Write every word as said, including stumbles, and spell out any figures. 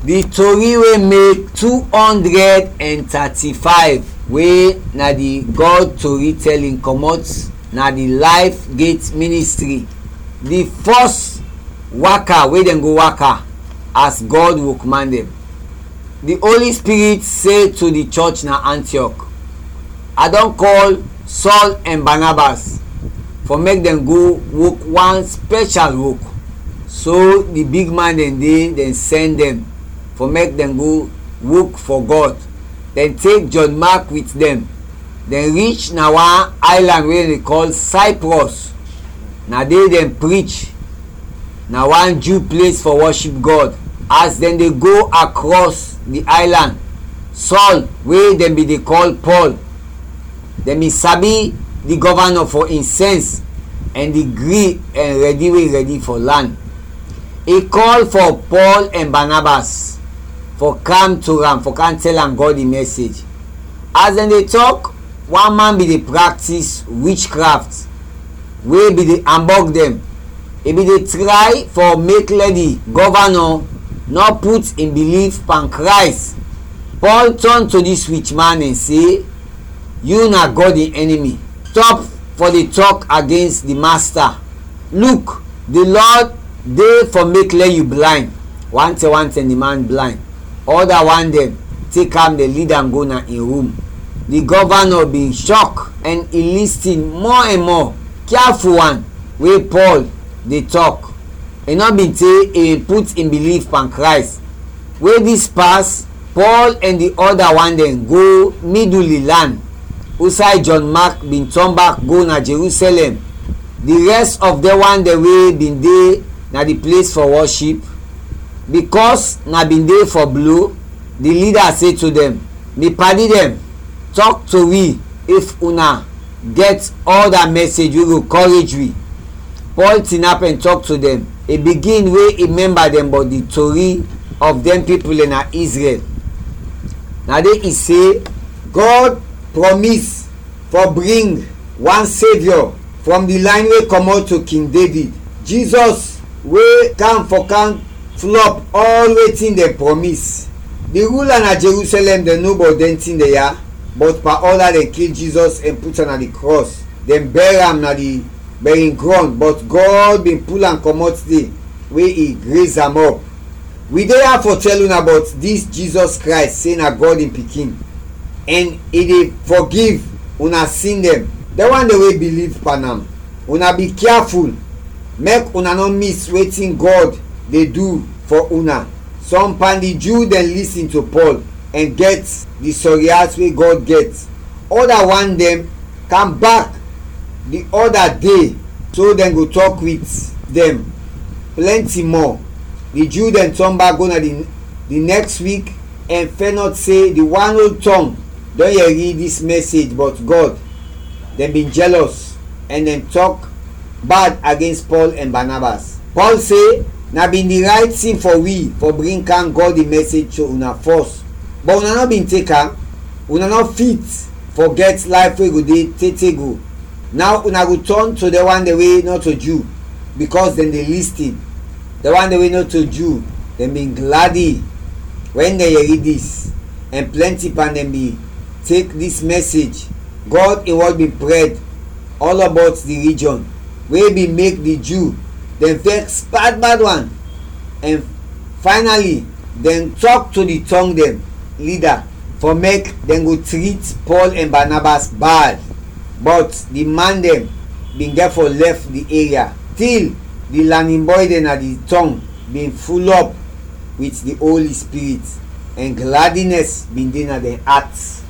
Di tori wey make two hundred and thirty-five, wey na di God Tori Telling, comot na di Life Gate Ministry, di first waka wey dem go waka as God workman dem. Di Holy Spirit say to di church na Antioch, "I don call Saul and Barnabas for make dem go work one special work." So di big man dem de, dem send dem for make dem go work for God. Dem take John Mark with dem. Dem reach na one island wey dem dey call Cyprus. Na there dem preach. Na one Jew place for worship God. As dem dey go across di island, Saul, wey dem bin dey call Paul, dem bin sabi di gɔvanɔ for in sense and di gree and ready wey ready for lan. I call for Paul and Barnabas for kam to am, for kam tɛl am God in message. As dem dey tɔk, one man bin dey practice witchcraft, wey bin dey ambɔg dem. I bin dey tray for make lɛ di gɔvanɔ nɔ put in biliv pan Krays. Paul tɔn to dis wich man and se, "Yu na God in enemy. Stɔp fɔ de tɔk agains di Masta. Luk, di Lɔd de fɔ make lɛ yu blayn." Wantɛm wantɛm di man blayn. Ɔda wan dɛn tek am, dɛn lid am go na in rum. Di gɔvanɔ bin shɔk and i listin mɔ and mɔ kiaful wan we Pɔl de tɔk. I nɔ bin te i bin put in biliv pan Krays. We dis pas, Pɔl and di ɔda wan dɛn go midul di lan, usay Jɔn Mak bin tɔn bak go na Jerusɛlɛm. Di rɛs of dɛn wan dɛn we bin de na di ples fɔ wɔship, bikɔs na bin de fɔ blo, di lida se to dɛn, "Mi padi dɛn, tɔk to wi if una gɛt ɔda mɛsej we go kɔrej wi." Pɔl tinap ɛn tɔk to dɛn. I bigin we i mɛmba dɛn bɔt di tori of dɛn pipul dɛn na Izrɛl. Na de i se, Gɔd prɔmis fɔ bring wan Seviɔ frɔm di layn we kɔmɔt to King Devid, Jizɔs, we kam fɔ kam flɔp ɔl wetin dɛn prɔmis. Di rula na Jerusɛlɛm dɛn no bɔt dɛn tin dɛn ya, bɔt Paola dɛn kil Jizɔs ɛn put am na di krɔs. Dɛn bɛr am na di bɛrin grɔn, bɔt Gɔd bin pul am kɔmɔt de we i rez am ɔp. Wi de ya fɔ tɛl una bɔt dis Jizɔs Krays, se na Gɔd in Pikin, ɛn i de fɔgiv una sin dɛn, dɛn wan dɛn we biliv pan am. Una bi kiaful, mek una nɔ mis wetin Gɔd de du fɔ una. Sɔm pan di Ju dɛn lisin to Pɔl ɛn gɛt di sɔri at we Gɔd gɛt. Ɔda wan dɛn kam bak di ɔda de, so dɛn go tɔk wit dɛn plɛnti mɔ. Di Ju dɛn tɔn bak go na di, di nɛks wik ɛn fɛnɔt se di wan ol tɔng dɔn yɛri dis mɛsej bɔt Gɔd. Dɛn bin jɛlɔs ɛn dɛn tɔk bad agens Pɔl ɛn Banabas. Pɔl se, "Na bin di rayt tin fɔ wi fɔ bring kam Gɔd in mɛsej to una fɔs, bɔt una nɔ bin tek am. Una nɔ fit fɔ gɛt layf we go de tete go. Naw una go tɔn to dɛn wan dɛn we nɔto Ju, bikɔs dɛn de listin." Dɛn wan dɛn we nɔto Ju, dɛn bin gladi wɛn dɛn yɛri dis, ɛn plɛnti pan dɛn bin tek dis mɛsej. Gɔd in wɔd bin prɛd ɔlɔbɔt di rijɔn, we bin mek di Ju dɛn vɛks bad bad wan, ɛn faynali dɛn tɔk to di tɔng dɛn lida fɔ mek dɛn go trit Pɔl ɛn Banabas bad. Bɔt di man dɛn bin gɛt fɔ lɛf di eria, til di lanin bɔy dɛn na di tɔng bin fulɔp wit di Oli Spirit, ɛn gladinɛs bin de na dɛn at.